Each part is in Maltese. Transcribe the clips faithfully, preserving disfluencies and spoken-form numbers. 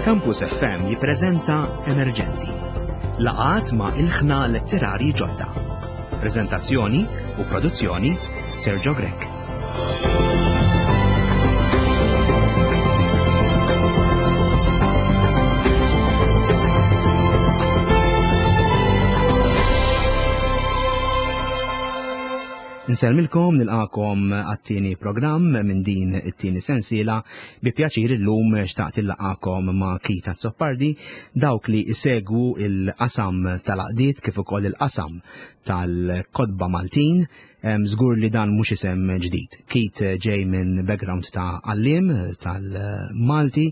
Campus F M jippreżenta Emerġenti. Laqgħat ma' ilħna letterari ġodda. Preżentazzjoni u produzzjoni Sergio Grech. Insellmilkom, nilqakom għat-tieni programm minn din it-tieni sensiela. Bi pjaċir illum xtaqt illaqakom ma' Keith Azzopardi, dawk li isegwu il-qasam tal-għaqdiet kif ukoll il-qasam tal-kotba Maltin. Em, żgur li dan mhux isem ġdid. Keith ġej minn background ta' għalliem tal-Malti,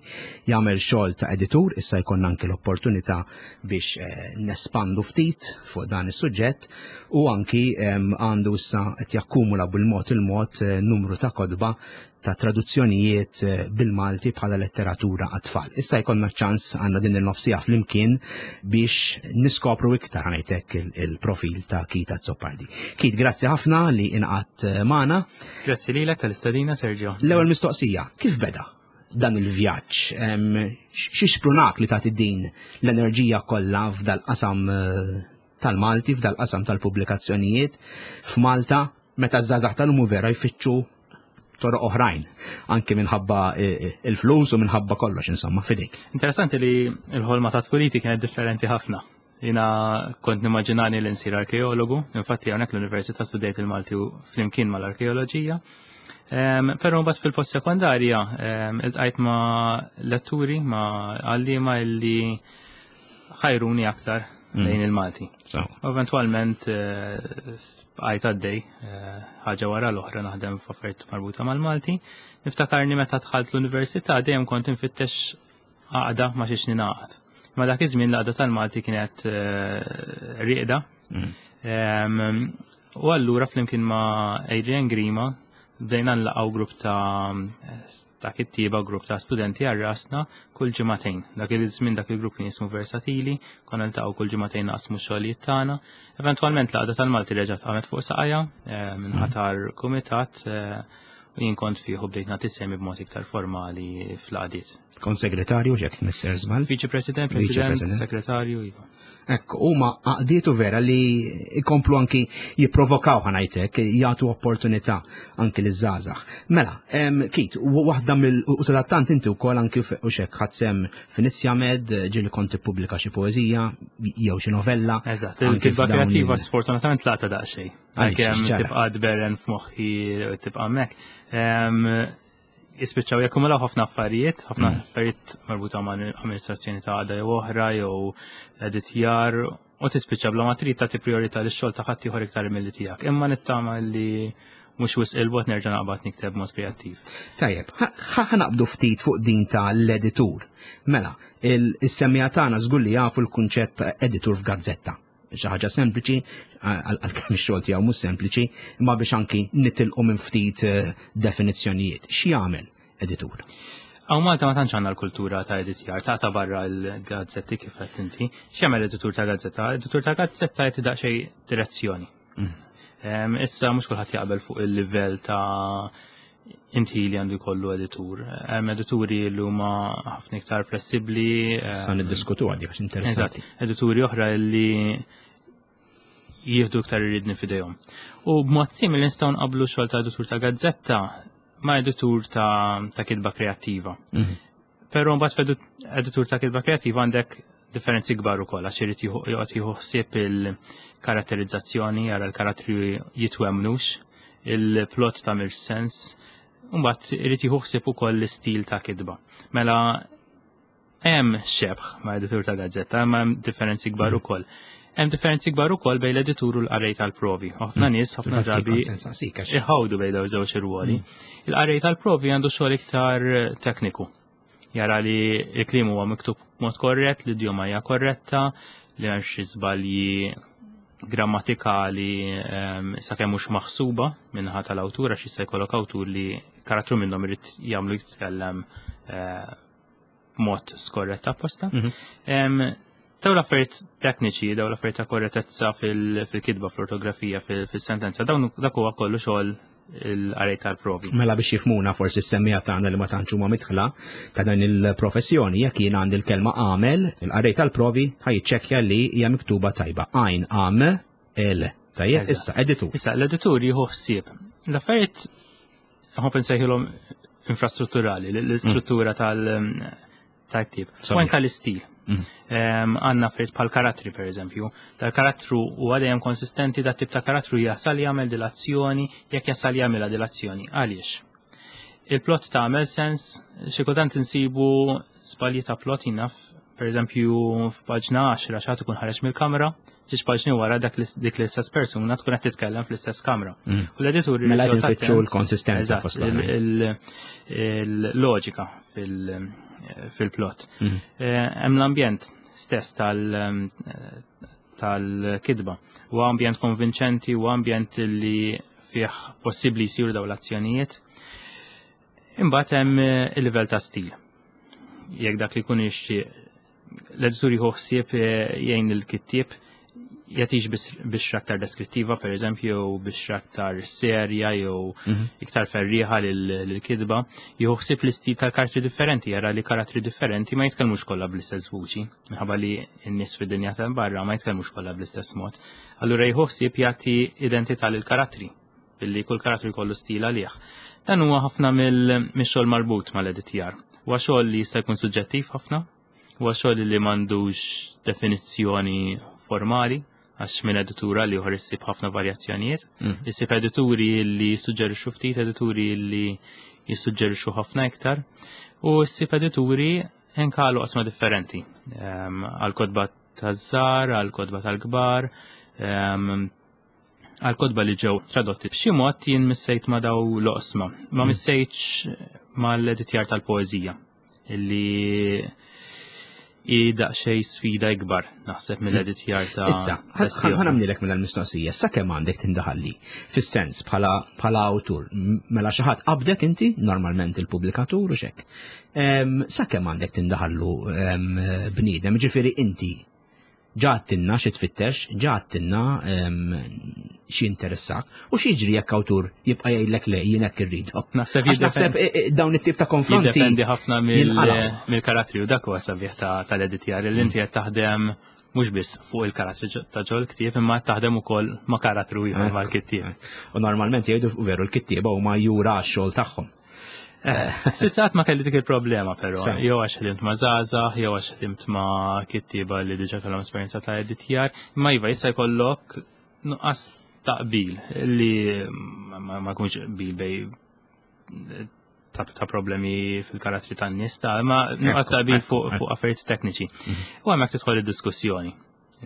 jagħmel xogħol ta' editur, issa jkollna anki l-opportunità biex, eh, nespandu ftit fuq dan is-suġġett, u anki, em, għandu issa qed jakkumula bil-mod il-mod, eh, numru ta' kotba ta' traduzzjonijiet, eh, bil-Malti bħala letteratura għat-tfal. Issa jkollna ċans għandna din il-nofsija flimkien biex niskopru iktar ngħidlek il-, il-profil ta' Keith Azzopardi. Keith, grazzi ħafna li inqatt, eh, magħna. Grazzi lilek tal-istedina, Sergio. L-ewwel mistoqsija, kif beda dan il-vjaġġ? Em, x-, xi sprunak li tagħti din l-enerġija kollha f'dal-qasam, eh, tal-Malti, f'dal-qasam tal-pubblikazzjonijiet f'Malta, meta ż-żgħażagħ tal-lum vera jfittxu toroq oħrajn, anki minħabba, eh, eh, il-flus u minħabba kollox, insomma, fidejk. Interessanti li l-ħolma ta' tfuliti kienet differenti ħafna. Jina kont nimmaġinani li nsir arkeologu, infatti hawnhekk l-università studejt il-Malti u flimkien mal-arkeoloġija. Em, però mbagħad fil-post sekondarja, em, iltqajt ma' letturi, ma' għalliema illi ħajruni aktar Mm. lejn il-Malti. So. U eventwalment, eh, bqajt għaddej, eh, ħaġa wara l-oħra naħdem f'affarijiet marbuta mal-Malti. Niftakarni meta dħalt l-università dejjem kont infittex għaqda ma xiex ningħaqad. Ma dak iż-żmien l-għaqda tal-Malti kienet, eh, rieqda. Mm. Em, u allura flimkien ma' Adrian Grima bdejna nlaqgħu grupp ta' ta' kittieba, grupp ta' studenti għal rasna kull ġimagħtejn. Dak iż-żmien dak il-grupp kien jismu Versatili, konna niltaqgħu kull ġimagħtejn naqsmu x-xogħlijiet tagħna. Eventwalment l-għaqda tal-Malti reġgħet qamet fuq saqajja, eh, minħatar kumitat, eh, u jien kont fih u bdejt nagħti semi b'mod iktar formali fl-għaqdiet. Kont segretarju ġek Mister Żball? Viċi President, Viċi President, President. Segretarju, iva. Ekku, huma għaqdietu vera li ikomplu anki jipprovokaw ħanajtek, jagħtu opportunità anki liż-żgħażagħ. Mela, em, Keith, u waħda mill-, u sadattant inti wkoll anki f-, u xek ħadd sem f'Inizja Med, ġieli kont tippubblika xi poeżija jew xi novella. Eżatt, anki il-kitba f'dawn kreattiva il- sfortunatament laqta daqsxejn. Għaliex, Għalkemm x'ġara? tibqa' tberren f'moħħi tibqa' hemmhekk. Em, jispiċċaw jakkumulaw ħafna affarijiet, ħafna Mm. affarijiet marbuta ma' amministrazzjoni ta' għaqda jew oħra jew editjar, u tispiċċa bla ma trid tagħti priorità lix-xogħol ta' ħadd ieħor iktar milli tiegħek. Imma nittama li mhux wisq il-bogħod nerġa' naqbad nikteb mod kreattiv. Tajjeb, ħa-, ħa-, ħanaqbdu ftit fuq din ta' l-editur. Mela, il-, is-semmiegħa tagħna żgur li jafu l-kunċett ta' editur f'gazzetta. Xi ħaġa sempliċi, għal-, għalkemm ix-xogħol tiegħu mhux sempliċi, imma biex anki nitilqu minn ftit, eh, definizzjonijiet. X'jagħmel editur? Hawn Malta ma tantx għandna l-kultura ta' editjar, ta' ta' barra l-gazzetti kif qed inti. X'jagħmel editur ta' gazzetta? Editur ta' gazzetta jagħti daqsxejn direzzjoni. Mm. Em, issa mhux kulħadd jaqbel fuq il-livell ta' inti li għandu jkollu editur. Hemm edituri li huma ħafna iktar flessibbli, Issa em, niddiskutu għadi għax interessanti. Eżatt, edituri oħra li jieħdu iktar irridni f'idejhom. U b'mod simili nistgħu nqabblu xogħol ta' editur ta' gazzetta ma' editur ta', ta' kitba kreattiva. Mhm. Però mbagħad f'edu-, editur ta' kitba kreattiva għandek differenzi kbar ukoll għax irid jieħu, joqgħod jieħu ħsieb il-karatterizzazzjoni, jara l-karattri jitwemnux, il-plot tagħmel sens, u mbagħad irid jieħu ħsieb ukoll l-istil ta' kitba. Mela hemm xebh ma' editur ta' gazzetta, imma hemm differenzi kbar Mhm. ukoll. Hemm differenzi kbar ukoll bejn l-editur u l-qarrej tal-provi. Ħafna Mm. nies, ħafna Infatti, drabi kont se nsaqsik għax iħawdu bejn dawn żewġ irwoli. Mm. Il-qarrej tal-provi għandu xogħol iktar tekniku. Jara li l-kliem huwa miktub b'mod korrett, l-idjoma hija korretta, li hemm xi żbalji grammatikali, ehm, sakemm mhux maħsuba minħa tal-awtur, għax jista' jkollok awtur li karattru minnhom irid jagħmlu jitkellem, eh, b'mod skorrett apposta. Mhm. Ehm, dawn l-affarijiet tekniċi, dawn l-affarijiet ta' korrettezza fil-, fil-kitba, fl-ortografija, fil-, fil-sentenza, dawn dak huwa kollu xogħol il-qarej tal-provi. Mela biex jifhmuna forsi s-semmiegħa tagħna li ma tantx huma midħla ta' dan il-professjoni, jekk jien għandi l-kelma għamel, il-qarej tal-provi ħa jiċċekkja li hija miktuba tajba. Għajn għam el. Tajjeb, issa, editur. Issa, l-editur jieħu ħsieb. L-affarijiet nħobb insejħilhom infrastrutturali, l-istruttura tal- tal-ktieb. U anke l-istil. Għandna affarijiet bħal karattri, per eżempju. Dal-karattru u għadjem konsistenti, dat tip ta' karattru jasal jagħmel dil-azzjoni, jekk jasal jagħmel dil-azzjoni. Għaliex? Il-plot tagħmel sens, xi kultant insibu żbalji ta' plot jinaf, per eżempju, f'paġna għaxra xi ħadd ikun ħareġ mill-kamra, ġiex paġni wara dak dik l-istess persuna tkun qed titkellem fl-istess kamra. U l-editur Mela qed infittxu l-konsistenza fost il-loġika fil-plot. Hemm l-ambjent stess tal- tal-kitba. U ambjent konvinċenti u ambjent li fih possibbli jsiru dawn l-azzjonijiet. Imbagħad hemm il-livell ta' stil. Jekk dak li jkun jixtieq l-editur jieħu ħsieb jgħin il-kittieb jagħtix biex aktar deskrittiva, per eżempju, jew biex aktar serja, jew iktar ferriħa lill-kitba. Jieħu ħsieb l-istil tal-karattri differenti, jara li karattri differenti ma jitkellmux kollha bl-istess vuċi, minħabba li n-nies fid-dinja ta' barra ma jitkellmux kollha bl-istess mod. Allura jieħu ħsieb jagħti identità lill-karattri, billi kull karattru jkollu stil għalih. Dan huwa ħafna mill-xogħol marbut mal-editjar. Huwa xogħol li jista' jkun suġġettiv ħafna, huwa xogħol li m'għandux definizzjoni formali, għax minn editura li uħor issib ħafna varjazzjonijiet. Issib edituri li jissuġġerixxu ftit, edituri li jissuġġerixxu ħafna iktar, u ssib edituri enkalu qasma differenti. Għal kotba taż-żgħar, għal kotba tal-kbar, għal kotba li ġew tradotti. B'xi mod jien missejt ma' daw l-oqsma, ma missejtx mal-editjar tal-poeżija, illi i daqsxejn sfida ikbar naħseb mill-editjar ta' Issa, ħa nagħmlilek mela l-mistoqsija, sa kemm għandek tindaħalli fis-sens bħala bħala awtur, mela xi ħadd qabdek inti, normalment il-pubblikatur u xek. Sa kemm għandek tindaħallu bniedem, ġifieri inti ġa għedtilna xi tfittex, ġa għedtilna xi interessak, u x'jiġri jekk awtur jibqa' jgħidlek le, jien hekk irridu? Naħseb naħseb eh, eh, dawn it-tip ta' konfronti. Jiddependi ħafna mill-karattri u dak huwa sabiħ tal-editjar li inti qed taħdem mhux biss fuq il-karattri ta' ġol ktieb imma taħdem ukoll ma' karattru ieħor mal-kittieb. U normalment jgħidu veru l-kittieba huma jura x-xogħol tagħhom. Eh, s'issa ma kelli dik il-problema però, jew għax ħdimt ma' żgħażagħ, jew għax ħdimt ma' kittieba li diġà kellhom esperjenza ta' editjar, imma iva jista' jkollok nuqqas ta' qbil li ma jkunx qbil bej ta' ta' problemi fil-karattri tan-nies ta' imma nuqqas ta' qbil fuq fuq affarijiet tekniċi. Mhm. U hemmhekk tidħol id-diskussjoni.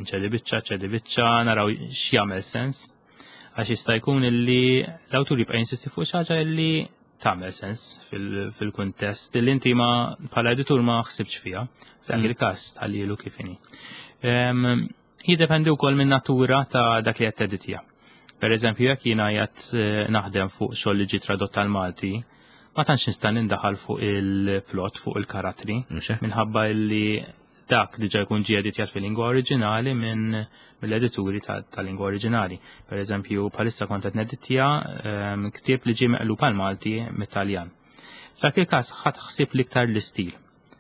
Nċedi biċċa, ċedi biċċa, naraw x'jagħmel sens. Għax jista' jkun illi l-awtur jibqa' jinsisti fuq xi ħaġa illi tagħmel sens fil-kuntest li inti ma bħala editur ma ħsibx fiha. F'dak mm. il-każ tħallilu kif inhi. Jiddependi wkoll minn natura ta' dak li qed teditja. Per eżempju, jekk jiena qiegħed eh, naħdem fuq xogħol li ġie tradott tal-Malti, ma tantx nista' nindaħal fuq il-plot, fuq il-karattri, minħabba li dak diġà jkun ġie editjat fil-lingwa oriġinali minn mill-edituri tal-lingwa oriġinali. Per eżempju, bħalissa kont qed neditja ehm, ktieb li ġie meqlub għal Malti mit-Taljan. F'dak il-każ ħadt ħsieb l-iktar l-istil.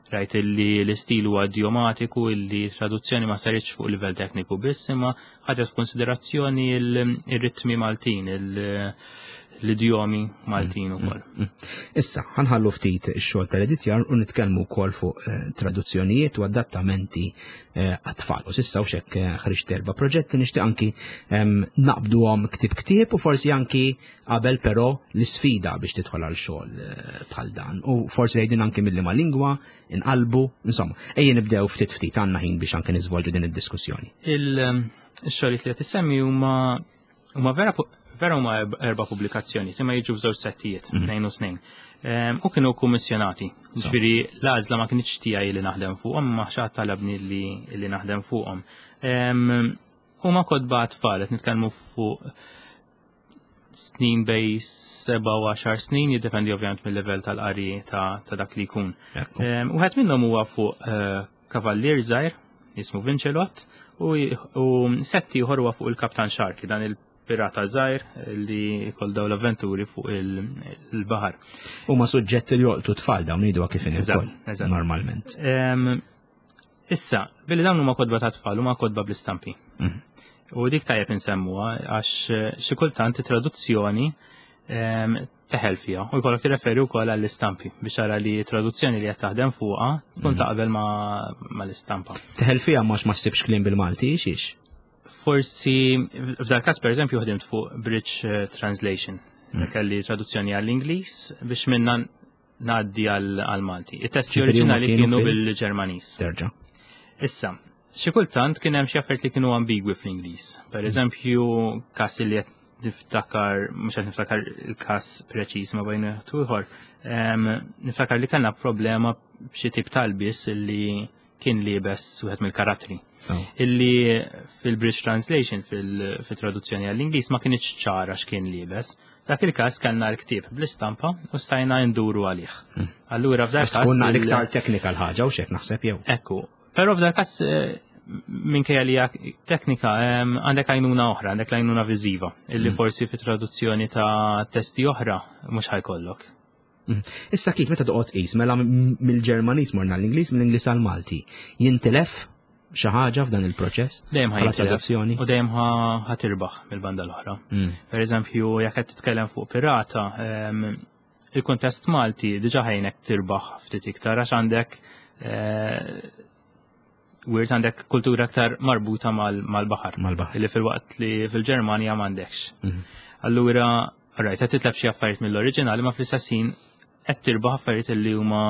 Rajt li l-istil huwa idiomatiku, illi traduzzjoni ma saritx fuq livell tekniku biss, imma ħadet f'konsiderazzjoni il-ritmi Maltin, l-idjomi Maltin mm, ukoll. Mm, mm. Issa, ħa nħallu ftit ix-xogħol tal-editjar u nitkellmu wkoll fuq eh, traduzzjonijiet u adattamenti eh, għat-tfal. U s'issa u xek eh, ħriġt erba' proġetti, nixtieq anki naqbduhom ktieb ktieb u forsi anki qabel però l-isfida biex tidħol għal xogħol bħal dan. U forsi jgħidin anki mill ma lingwa, inqalbu, insomma, ejja nibdew ftit ftit, għandna ħin biex anki niżvolġu din id-diskussjoni. Il-xogħlijiet li qed issemmi huma huma vera vera huma erba' pubblikazzjoni, imma jiġu f'żewġ settijiet, mhm. tnejn u tnejn. U kienu kummissjonati. Ġifieri l-għażla ma kinitx tiegħi li naħdem fuqhom, ma xi ħadd talabni li naħdem fuqhom. Huma kotba tfal, qed nitkellmu fuq snin bej seba u għaxar snin, jiddependi ovvjament mill-level tal-qari ta' dak li jkun. Wieħed minnhom huwa fuq eh, kavallier żgħir jismu Vincelot u sett ieħor huwa fuq il-Kaptan Sharky, dan il Pirata żgħir li jkollu dawn l-avventuri fuq il-baħar. Huma suġġetti li jolqtu tfal dawn, ngħidu kif inhi ukoll normalment. Issa, billi dawn huma kotba ta' tfal, huma kotba bl-istampi. Mhm. U dik tajjeb insemmuha, għax xi kultant traduzzjoni teħel fiha u jkollok tirreferi wkoll għall-istampi biex ara li traduzzjoni li qed taħdem fuqha tkun mhm. taqbel ma l-istampa. Teħel fiha mhux ma ssibx kliem bil-Malti, xiex? Forsi f'dal każ, pereżempju, ħdimt fuq bridge eh, translation. Mm. Kelli traduzzjoni għall-Ingliż biex minna ngħaddi għal-Malti. It-testi oriġinali kienu bil-Ġermaniż. Terġa'. Issa, xi kultant kien hemm xi affarijiet li kienu ambigwi fl-Ingliż. Per eżempju, każ li qed niftakar, mhux qed niftakar il-każ preċiż ma bejn ieħor, niftakar li kellna problema b'xi tip ta' lbies li kien liebes wieħed mill-karattri. Illi fil-Bridge Translation, fil-traduzzjoni għall-Ingliż, ma kienx ċara x'kien liebes. Dak il-każ kellna l-ktieb bl-istampa u stajna nduru għalih. Hmm. Allura f'dak każ. Tkun iktar teknika l-ħaġa u xek naħseb jew. Ekku. Però f'dak każ, eh, minkejja li teknika, għandek għajnuna oħra, għandek l-għajnuna viżiva, illi hmm. forsi fi traduzzjoni ta' testi oħra mhux ħa jkollok. Mm. Issa kif meta toqgħod qis, mela mill-Ġermaniż morna l-Ingliż, mill-Ingliż għal-Malti, jintilef xi ħaġa f'dan il-proċess? Dejjem ħa traduzzjoni. U dejjem ħa tirbaħ mill-banda l-oħra. Mm. Per eżempju, jekk qed titkellem fuq pirata, il-kuntest Malti diġà ħa jgħinek tirbaħ ftit iktar għax għandek eh, wirt, għandek kultura aktar marbuta mal-baħar. Mal-baħar. Li fil-waqt li fil-Ġermanja m'għandekx. Mhm. Allura, rajt, qed titlef xi affarijiet mill-oriġinali, ma fl-istess ħin qed tirbaħ affarijiet li huma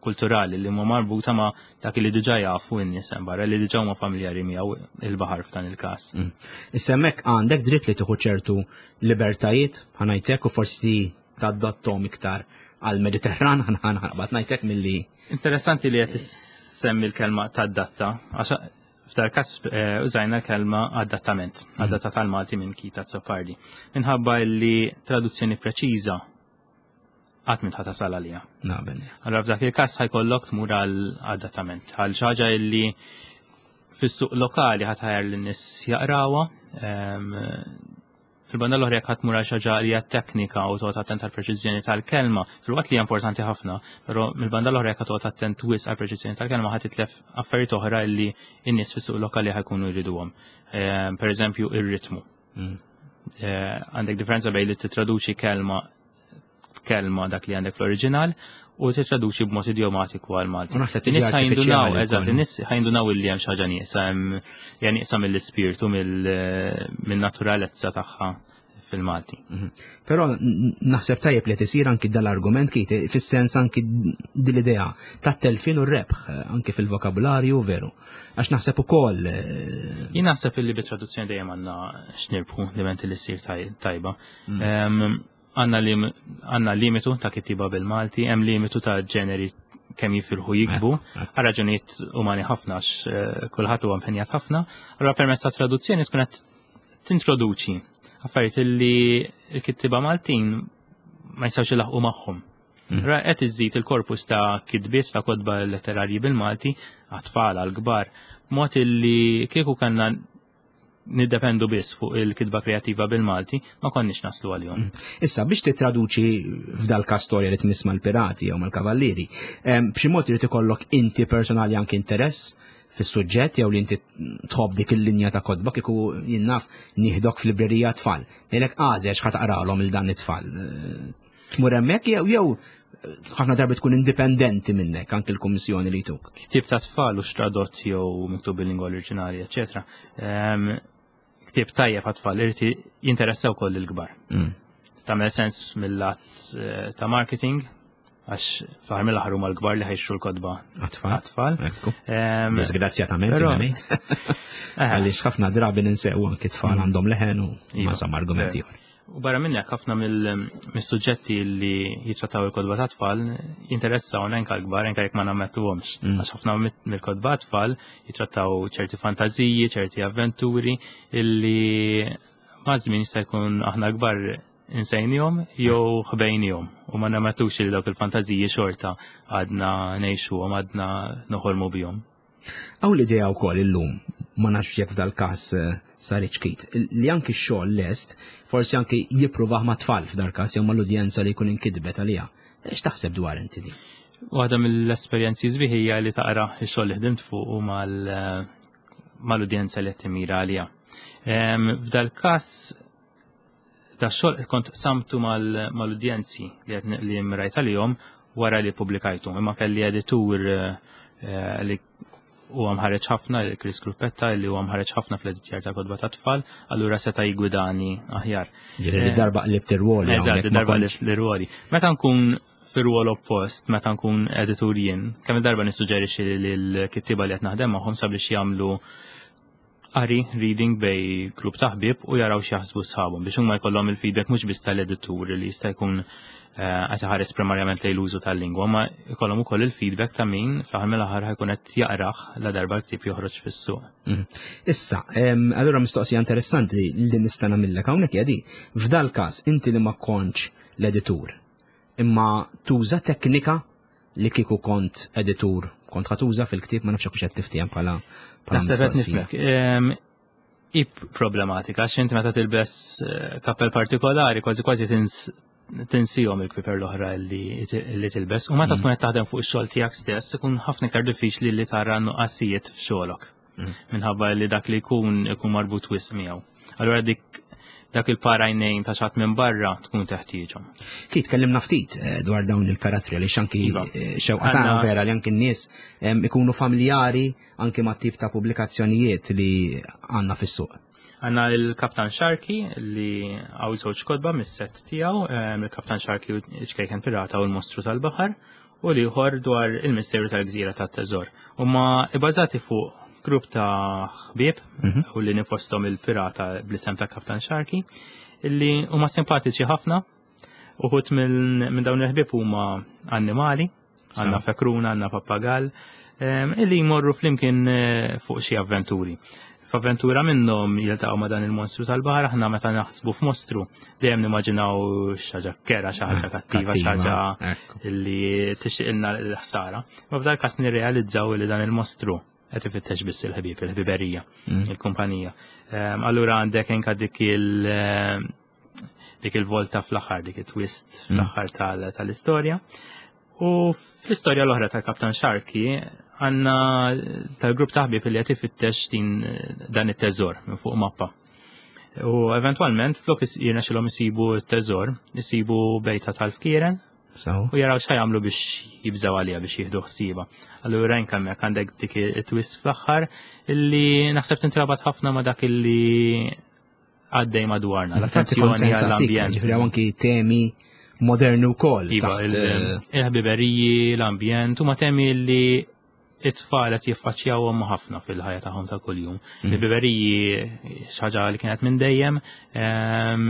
kulturali, li huma marbuta ma' dak li diġà jafu n-nies hemm barra, li diġà huma familjari miegħu, il-baħar f'dan il-każ. Mm. Issa hemmhekk għandek dritt li tieħu ċertu libertajiet, ħa ngħidlek, u forsi tadattom iktar għal-Mediterran, ħa naqbad ngħidlek, milli. Interessanti li qed issemmi l-kelma tadatta, għax f'dal każ eh, użajna l-kelma adattament, mm. adatta tal-Malti minn Keith Azzopardi. Minħabba li traduzzjoni preċiża qatt m'int ħa tasal għalija. Naqbel. Allora f'dak il-każ ħa jkollok tmur għal adattament, għal xi ħaġa illi fis-suq lokali ħa tħajjar lin-nies jaqrawha. Fil-banda l-oħra, jekk ħa tmur għal xi ħaġa li hija teknika u toqgħod attent għal preċiżjoni tal-kelma, filwaqt li hija importanti ħafna, però mill-banda l-oħra, jekk toqgħod attent wisq għal preċiżjoni tal-kelma, ħa titlef affarijiet oħra li n-nies fis-suq lokali ħa jkunu jriduhom. Per eżempju, ir-ritmu. Mm. Eh, għandek differenza bejn li titraduċi kelma kelma dak li għandek fl-oriġinal u titraduċi b'mod idiomatiku għal Malti. In-nies ħa jindunaw, eżatt, in-nies ħa jindunaw illi hemm xi ħaġa nieqsa, hemm nieqsa mill-ispirtu, mill-naturalezza tagħha fil-Malti. Mhm. Però naħseb tajjeb li tisir anki dal-argument kif fis-sens anki dil-idea ta' telfin u rebħ anki fil-vokabularju, veru. Għax naħseb ukoll. Eh, Jien naħseb illi bit-traduzzjoni dejjem għandna x'nirbħu diment li ssir tajba. Mm. Għandna limitu ta' kittiba bil-Malti, hemm limitu ta' ġeneri kemm jifilħu jiktbu, għal raġunijiet umani ħafna, għax eh, kulħadd huwa impenjat ħafna, allura permezz ta' traduzzjoni tkun qed tintroduċi affarijiet li l-kittiba Maltin ma jistgħux ilaħqu magħhom. Mm. Ra qed iżżid il-korpus ta' kitbiet, ta' kotba letterarji bil-Malti għat-tfal, għal-kbar, mod illi kieku kellna niddependu biss fuq il-kitba kreativa bil-Malti ma konniex naslu għalihom. Mm. Issa, biex titraduċi f'dal storja li tmiss mal-pirati jew mal-kavallieri, b'xi mod irid ikollok inti personali anke interess fis-suġġett jew li inti tħobb dik il-linja ta' kotba. Kieku jien naf nieħdok f'librerija tfal, ngħidlek għażel x'ħa taqralhom il dan it-tfal. Tmur hemmhekk jew jew ħafna darbi tkun indipendenti minnek anke l-kummissjoni li tuk? Ktieb ta' tfal u tradott jew miktub bil-lingwa oriġinali, eċetera. Ktieb tajjeb għat-tfal irid jinteressa wkoll il-kbar. Mm. Tagħmel sens mill-lat eh, ta' marketing, għax fl-aħħar mill-aħħar huma l-kbar li ħa jixtru l-kotba Għat-tfal. għat-tfal. Ekku. Em, Disgrazzjatament, però- ngħid. eh, Għaliex ħafna drabi ninsew anke tfal għandhom leħen u Iva. ma sam argumenti oħra. U barra minnek, ħafna mill-suġġetti li jitrattaw il-kotba ta' tfal jinteressaw anke l-kbar, anke jekk ma nammettuhomx. Mm. Għax ħafna mill-kotba tfal jitrattaw ċerti fantaziji, ċerti avventuri illi ma' żmien jista' jkun aħna kbar insejnihom jew ħbejnihom u ma nammettux li dawk il-fantaziji xorta għadna ngħixuhom, għadna noħolmu bihom. Hawn l-idea wkoll illum Ma nafx jekk f'dal-każ eh, saritx Keith. Li anki x-xogħol lest, forsi anki jippruvah ma' tfal f'dal-każ jew mal-udjenza li jkun inkitbet għaliha. X'taħseb dwar inti di? Waħda mill-esperjenzi sbieħ hija li taqra x-xogħol li ħdimt fuq u mal-udjenza li qed timira għaliha. F'dal-każ da xogħol kont qsamtu mal-udjenzi li li mrajt għalihom wara li publikajtu. Imma kelli editur eh, li huwa mħareġ ħafna, Chris Gruppetta, li huwa mħareġ ħafna fl-editjar ta' kotba ta' tfal, allura seta' jgwidani aħjar. Ġifieri darba qlibt ir-ruoli. Eżatt, darba qlibt ir-ruoli. Meta nkun fir-rwol oppost, meta nkun editur jien, kemm il-darba nissuġġerixxi lill-kittieba li qed naħdem magħhom sabiex jagħmlu qari reading bejn grupp ta' ħbieb u jaraw x'jaħsbu sħabhom biex huma jkollhom il-feedback mhux biss tal-editur li jista' jkun eh, qed iħares primarjament lejn l-użu tal-lingwa, ma jkollhom ukoll il-feedback ta' min fl-aħħar mill-aħħar ħa jkun qed jaqrah la darba l-ktieb joħroġ fis-suq. Mhm. Issa, allura mistoqsija interessanti li nista' nagħmillek hawnhekk hija di. F'dal każ inti li ma kontx l-editur, imma tuża teknika li kieku kont editur kont ħa tuża fil-ktieb, ma nafx hekk qed tiftiehem bħala Naħseb qed nifhmek. Hi problematika, għax inti meta tilbes eh, kappell partikolari kważi kważi tinsihom il-kpiper l-oħra li tilbes. U meta mm. tkun qed taħdem fuq ix-xogħol tiegħek stess, ikun ħafna iktar diffiċli li tara nuqqasijiet f'xogħolok. Mm. Minħabba li dak li jkun ikun marbut wisq miegħu. Allura dik dak il-par għajnejn ta' xi ħadd minn barra tkun teħtieġhom. Keith, tkellimna ftit eh, dwar dawn il-karattri li anki iva. eh, xewqa tagħna vera li anki n-nies ikunu familjari anki ma' tip ta' pubblikazzjonijiet li għandna fis-suq. Għandna il-Kaptan Sharky li hawn żewġ kotba mis-set tiegħu, il-Kaptan Sharky ċkejken pirata u l-mostru tal-baħar, u l-ieħor dwar il-misteru tal-gżira tat-teżor. Huma ibbażati fuq grupp ta' ħbieb mhm. u li fosthom il-pirata bl-isem ta' Kaptan Sharky illi huma simpatiċi ħafna. Uħud minn dawn il-ħbieb huma annimali, għandna fekruna, għandna pappagal, illi jmorru flimkien eh, fuq xi avventuri. F'avventura minnhom jiltaqgħu ma' dan il-monstru tal-baħar. Aħna meta naħsbu f'mostru dejjem nimmaġinaw xi ħaġa kerha, xi ħaġa kattiva, xi ħaġa illi tixtieqilna l-ħsara. Ma f'dal każ nirrealizzaw li dan il-mostru qed ifittex biss il-ħbieb, il-ħbiberija, mm. il-kumpanija. Allura għandek anka dik il- dik il-volta fl-aħħar, dik it-twist mm. fl-aħħar tal-istorja. U fl-istorja l-oħra tal-Kaptan Sharky għandna tal-grupp ta' ħbieb li qed ifittex din dan it-teżor minn fuq mappa. U eventwalment flok jirnexxilhom isibu t-teżor, isibu bejta tal-fkieren u jaraw x'ħa jagħmlu biex jibżaw għalija biex jieħdu ħsieba. Allura hemmhekk għandek dik it-twist fl-aħħar illi naħseb tintrabat ħafna ma' dak illi għaddej madwarna, l-attenzjoni għall-ambjent. Ġifieri anki temi moderni wkoll. Iva, eh, il-ħbiberiji, l-ambjent, huma temi li it-tfal qed jiffaċċjawhom ħafna fil-ħajja tagħhom ta' kuljum. Mm. Il-ħbiberiji xi ħaġa li kienet minn dejjem, ehm,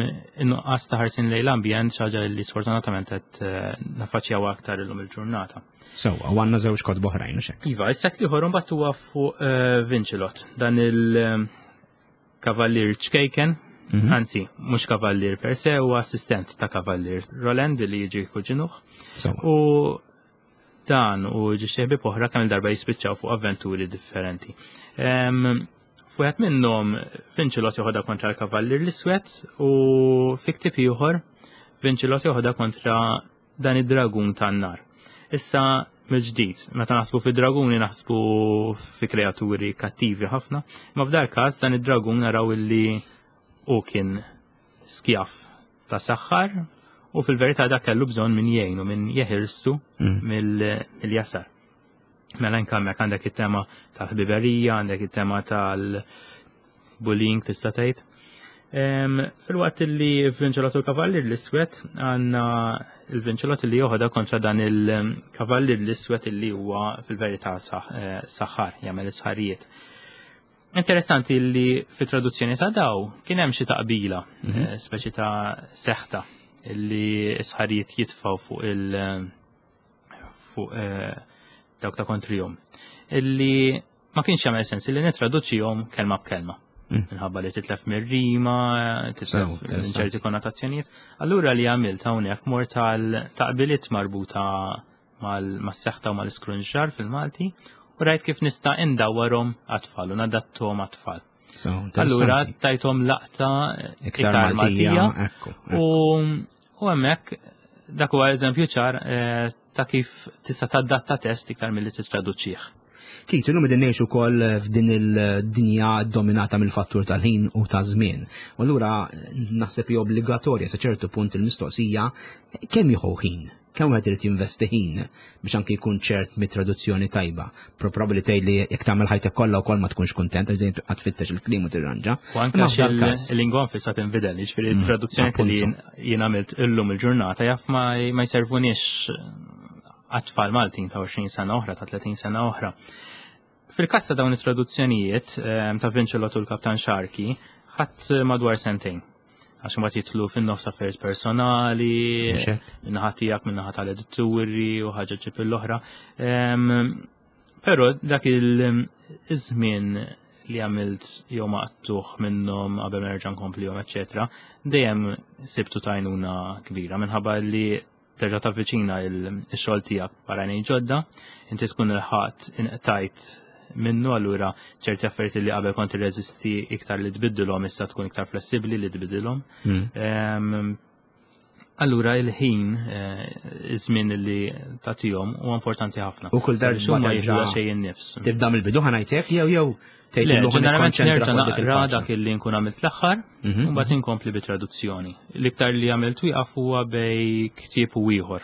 in-nuqqas ta' ħarsin lejn l-ambjent xi ħaġa li sfortunatament qed eh, naffaċċjaw aktar illum il-ġurnata. Sewwa, u għandna żewġ kotba oħrajn, u hekk. Iva, is-set l-ieħor mbagħad huwa fuq eh, Vinċilot, dan il-kavallier ċkejken, mhm. anzi, mhux kavallier per se, huwa assistent ta' kavallier Roland li jiġi kuġinuh. U dan u xi ħbieb oħra kemm il-darba jispiċċaw fuq avventuri differenti. F'wieħed minnhom Vinċilot joħodha kontra l-kavallier l-iswed u fi ktieb ieħor Vinċilot joħodha kontra dan id-dragun tan-nar. Issa mill-ġdid, meta naħsbu fi draguni naħsbu fi kreaturi kattivi ħafna, ma f'dal każ dan id-dragun naraw illi u kien skjav ta' saħħar u fil-verità dak kellu bżonn min jgħinu, min jeħilsu mm. mill-jasar. Mela hemmhekk għandek it-tema tal-ħbiberija, għandek it-tema tal-bullying tista' tgħid. Fil-waqt li Vinċelot u l-Kavallier l-Iswed għandna il-Vinċelot li joħodha kontra dan il-Kavallier l-Iswed li huwa fil-verità eh, saħħar, jagħmel isħarijiet. Interessanti li fit traduzzjoni ta' daw kien hemm xi taqbila, mhm. eh, speċi ta' seħta li isħarijiet jitfaw fuq il- fuq eh, dawk ta' kontrihom. Illi ma kienx jagħmel sens li nitraduċihom kelma b'kelma. Mm. Minħabba li titlef mir-rima, titlef minn ċerti konnotazzjonijiet. Allura li għamilt hawnhekk mort tal taqbiliet marbuta mas-seħta u mal-iskrunġar fil-Malti u u rajt kif nista' indawwarhom għat-tfal u nadatthom għat-tfal. So, Allura interessanti. tajthom laqta Iktar Maltija, ekku, U u hemmhekk dak huwa eżempju ċar eh, ta' kif tista' tadatta test iktar milli titraduċih. Keith, illum qegħdin ngħixu wkoll f'din il-dinja dominata mill-fattur tal-ħin u ta' żmien. U allura naħseb hija obbligatorja sa ċertu punt il-mistoqsija kemm jieħu ħin? Kemm wieħed irid jinvesti ħin biex anki jkun ċert mit-traduzzjoni tajba. Probabbli tgħid li jekk tagħmel ħajtek kollha wkoll ma tkunx kuntent għax dejjem tibqa' tfittex il-kliem u tirranġa. U anke Imma f'dan każ- il-lingwa nfisha tinbidel, jiġifieri traduzzjoni li appuntu. jien għamilt illum il-ġurnata jaf ma ma jservuniex għat-tfal Maltin ta' għoxrin sena oħra, ta' tletin sena oħra. Fil-każ ta' dawn it-traduzzjonijiet ehm, ta' Vincelot u l-Kaptan Sharky, ħadt madwar sentejn. Għax imbagħad jidħlu fin-nofs affarijiet personali, Mhux hekk? min-naħa tiegħek, min-naħa tal-edituri u ħaġa ġib l-oħra. Ehm, Però dak il-żmien li għamilt jew maqtuħ minnhom qabel ma nerġa' nkomplihom, eċetera, dejjem sibtu t'għajnuna kbira minħabba li terġa' tavviċina il-xogħol tiegħek b'għajnejn ġodda, inti tkun ilħaqt inqtajt minnu, allura ċerti affarijiet li qabel kont irreżisti iktar li tbiddilhom issa tkun iktar flessibbli li tbiddilhom. Mm. Ehm, Allura il-ħin, eh, iż-żmien li tagħtihom huwa importanti ħafna. U kull darba Sabiex huma terġa' jieħdu xejn in-nifs. Tibda mill-bidu ħa ngħidlek jew jew tgħid Le, illum ħa ġeneralment nikkonċentra nerġa' fuq dik naqra il-paġna. dak illi nkun għamilt l-aħħar, Mhm. u mbagħad inkompli bit-traduzzjoni. L-iktar li għamilt wieqaf huwa bejn ktieb u ieħor.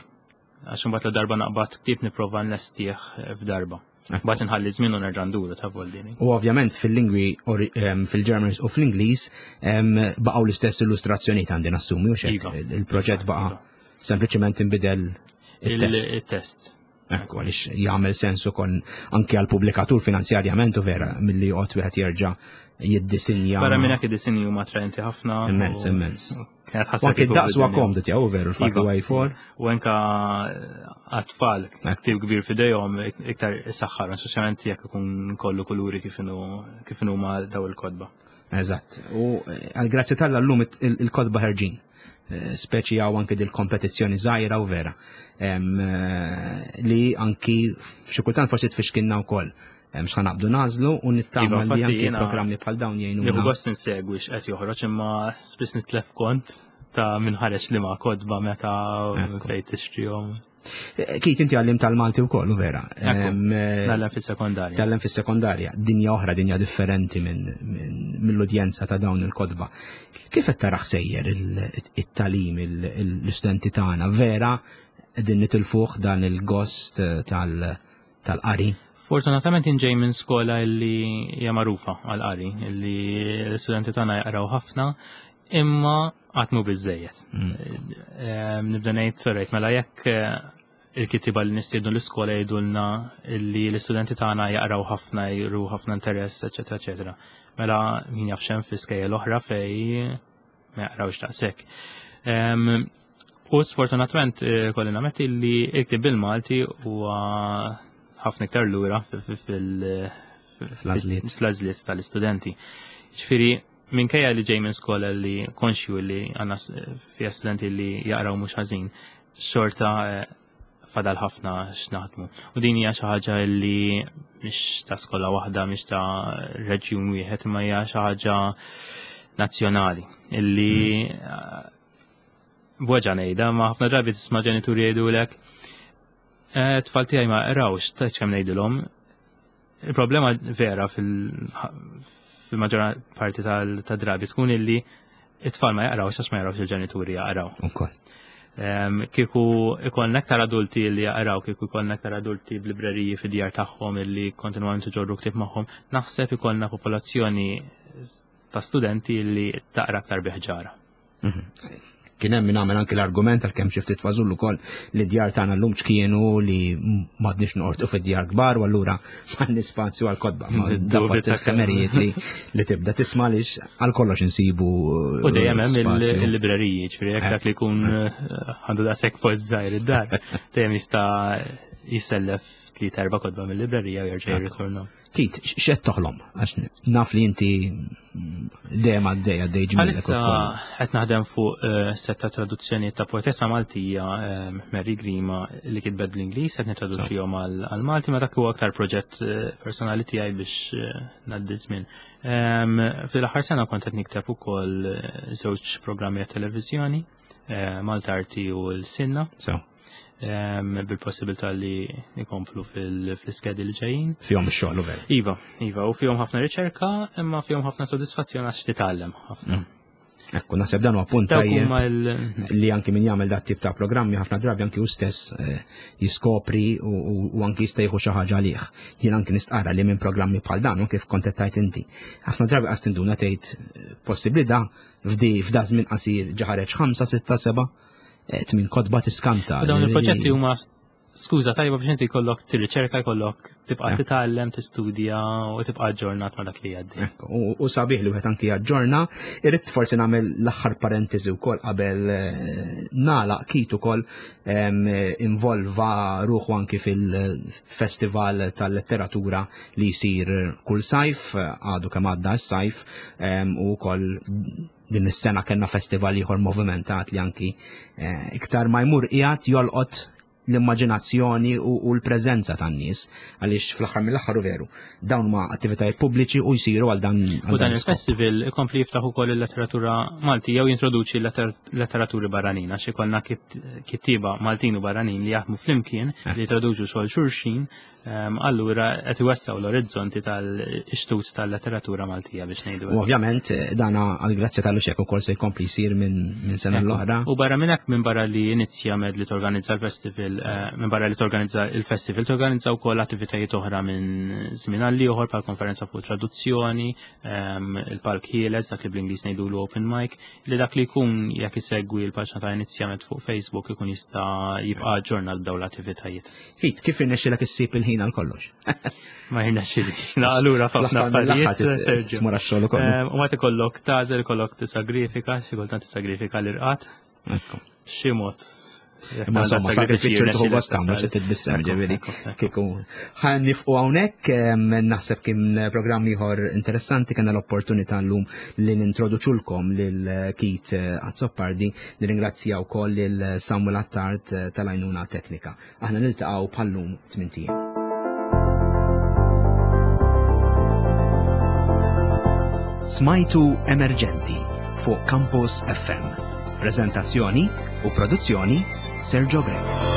Għax imbagħad la darba naqbad ktieb nipprova nlestih f'darba. Mbagħad inħalli żmien u nerġa' nduru ta' voldini. U ovvjament fil-lingwi ori- em, fil-German u fl-Ingliż em, baqgħu l-istess illustrazzjonijiet, għandi nassumi, u xek Iva. il-proġett baqa' sempliċement inbidel il-test. Il-test. Ekku, għaliex jagħmel sens ukoll anke għal pubblikatur finanzjarjament u vera milli joqgħod wieħed jerġa' jiddisinja. Barra minn hekk id-disinji huma attraenti ħafna. Immens, u- immens. Kienet U ħasra anke kieku d-daqs huwa bidilni. komdu tiegħu, veru, l-fatt Iva. li A four. U anka għat-tfal, ktieb kbir f'idejhom iktar saħħar, speċjalment jekk ikun kollu kuluri kif inhu kif inhu ma daw il-kotba. Eżatt. U eh, għal grazzi t'Alla llum il- il-kotba ħerġin. Eh, Speċi għaw anke dil-kompetizzjoni żgħira u vera. Em, eh, Li anki xi kultant forsi tfixkinna wkoll. Em, X'ħa naqbdu nagħżlu u nittama Iva, li infatti anki jiena programmi bħal dawn Nieħu jgħinuna. gost insegwi x'qed joħroġ, imma spiss nitlef kont ta' min ħareġ li ma kotba meta u Ekku. fejn tixtrihom. Eh, Keith, inti għallim tal-Malti wkoll, u vera. Ekku. Em, eh, Ngħallem fis-sekondarja. Tgħallem fis-sekondarja, dinja oħra, dinja differenti minn min, mill-udjenza ta' dawn il-kotba. Kif qed taraħ sejjer il- it-tagħlim l-istudenti tagħna? Vera qegħdin nitilfuh dan il-gost eh, tal- tal-qari? Fortunatament inġej minn skola illi hija magħrufa għal-qari, illi l-istudenti tagħna jaqraw ħafna, imma qatt mhu biżejjed. Eh, Nibda ngħid sorrejt mela jekk eh, il-kittiba li nistiednu l-iskola jgħidulna illi l-istudenti tagħna jaqraw ħafna, juru ħafna interess, eċetera, eċetera. Mela min jaf x'hemm fi skejjel oħra fej ma jaqrawx daqshekk. Em, U sfortunatament eh, kolli nammetti li il-ktieb bil-Malti huwa ħafna iktar lura fil- Fl-għażliet. fl-għażliet tal-istudenti. Ġifieri, minkejja li ġej minn skola li konxju li għandna s- fija studenti li jaqraw mhux ħażin, xorta eh, fadal ħafna x'naħdmu. U din hija xi ħaġa li mhix ta' skola waħda, mhix ta' reġjun wieħed, imma hija xi ħaġa nazzjonali illi eh, b'weġgħa ngħidha, ma ħafna drabi tisma' ġenituri jgħidulek "Eh, tfal tiegħi ma qrawx, ta' kemm ngħidilhom." Il-problema vera fil- fil-maġġor parti tal-drabi tkun illi it-tfal ma jaqrawx għax ma jaqrawx il-ġenituri jaqraw. Ukoll. Em, Kieku ikollna aktar adulti li jaqraw, kieku ikollna aktar adulti b'libreriji fid-djar tagħhom illi kontinwament iġorru ktieb magħhom, naħseb ikollna popolazzjoni ta' studenti li taqra aktar biħġara. Kien hemm min għamel anki l-argument, għalkemm xi ftit fażullu ukoll, li djar tagħna llum ċkienu li m'għadniex noqortu fid-djar kbar u allura m'għandni spazju għal kotba. Ma da Dubju fost ta' il-ħemerijiet li li tibda tisma' lix għal kollox insibu U dejjem hemm il- spazju. il-libreriji, ġifieri jekk dak li jkun eh, għandu daqshekk post żgħir id-dar, dejjem jista' jissellef tlieta erba' kotba mill-librerija u jerġa' jirritorna. Keith, x'qed toħlom? Għax naf li inti dejjem għaddej għaddej ġmielek Għalissa ukoll. qed naħdem fuq eh, sett ta' traduzzjoni ta' poetessa Maltija eh, Mary Grima li kitbet bl-Ingliż, qed nitraduċihom għal Malti, ma dak huwa aktar proġett eh, personali tiegħi biex eh, ngħaddi żmien. Em, Fil-aħħar sena kont qed nikteb ukoll eh, żewġ programmi għat televiżjoni, eh, Malta Arti u l-Sinna, So, em, bil-possibilità li nikomplu fil-iskedi li ġejjin. fihom ix-xogħol u veru. Iva, iva, u fihom ħafna riċerka, imma fihom ħafna sodisfazzjon għax titgħallem ħafna. Ekku, naħseb dan huwa punt Dawk tajjeb huma l- li anki min jagħmel dat tip ta' programmi ħafna drabi anki hu stess eh, jiskopri u, u, u anki jista' jieħu xi ħaġa għalih. Jien anki nistqarra li minn programmi bħal dan u kif kont qed tgħid inti. Ħafna drabi qas tinduna tgħid eh, possibbli da f'di f'da żmien qasir ġa ħareġ ħamsa, sitta, seba' eh, tmien kotba tiskanta. U dawn il-proġetti huma skuża tajba biex inti jkollok tirriċerka, jkollok tibqa' Eh. titgħallem, tistudja u tibqa' aġġornat ma' dak li jgħaddi. Ekku, U, u sabiħ li wieħed anki jaġġorna, irrid forsi nagħmel l-aħħar parentesi wkoll qabel eh, nagħlaq Keith ukoll em, involva ruħu anki fil-festival tal-letteratura li jsir kull sajf, għadu kemm għadda s-sajf, em, u wkoll din is-sena kellna festival ieħor movimentat li anki eh, iktar ma jmur qiegħed jolqot l-immaġinazzjoni u, u l-preżenza tan-nies għaliex fl-aħħar mill-aħħar u veru dawn ma attivitajiet pubbliċi u jsiru għal dan U għal dan iskop. il-festival ikompli jiftaħ ukoll il-letteratura Malti jew jintroduċi letter- letteraturi barranin għax ikollna kit- kittieba Maltin u barranin li jaħdmu flimkien li jitraduċu xogħol xulxin, em, allura qed iwessgħu l-orizzonti tal-ixtut tal-letteratura Maltija biex ngħidu. U ovvjament eh, dana għal grazzja tal-Luċek ukoll se jkompli jsir minn min sena l-oħra. U barra minn hekk minn barra li Inizjamed li torganizza l-festival, eh, minn barra li torganizza il-festival, torganizza wkoll attivitajiet oħra minn żmien għal ieħor bħal konferenza fuq traduzzjoni, ehm, il-palk ħieles, dak li bl-Ingliż ngħidulu open mic, li dak li jkun jekk isegwi l-paġna ta' Inizjamed fuq Facebook ikun jista' jibqa' aġġornat b'dawn l-attivitajiet. Keith, kif irnexxilek issib il-ħin għal kollox? Ma jirnexxilix, allura ħafna Fl-aħħar mill-aħħar affarijiet, Sergio. tmur għax-xogħol ukoll. Ehm, U ma tikollok tagħżel, ikollok tisagrifika, xi kultant tisagrifika l-irqad, Ekku. xi mod. Imma insomma, sakrifiċċju tieħu gost tagħmlu xi titbissem ġifieri. Kieku ħa nifqu hawnhekk em, naħseb kien programm ieħor interessanti kellna l-opportunità llum li nintroduċulkom lil Keith Azzopardi, nirringrazzja wkoll lil Samuel Attard eh, tal-għajnuna teknika. Aħna niltaqgħu bħallum tmint ijiem. Smajtu Emerġenti fuq Campus F M. Prezentazzjoni u produzzjoni Sergio Grech.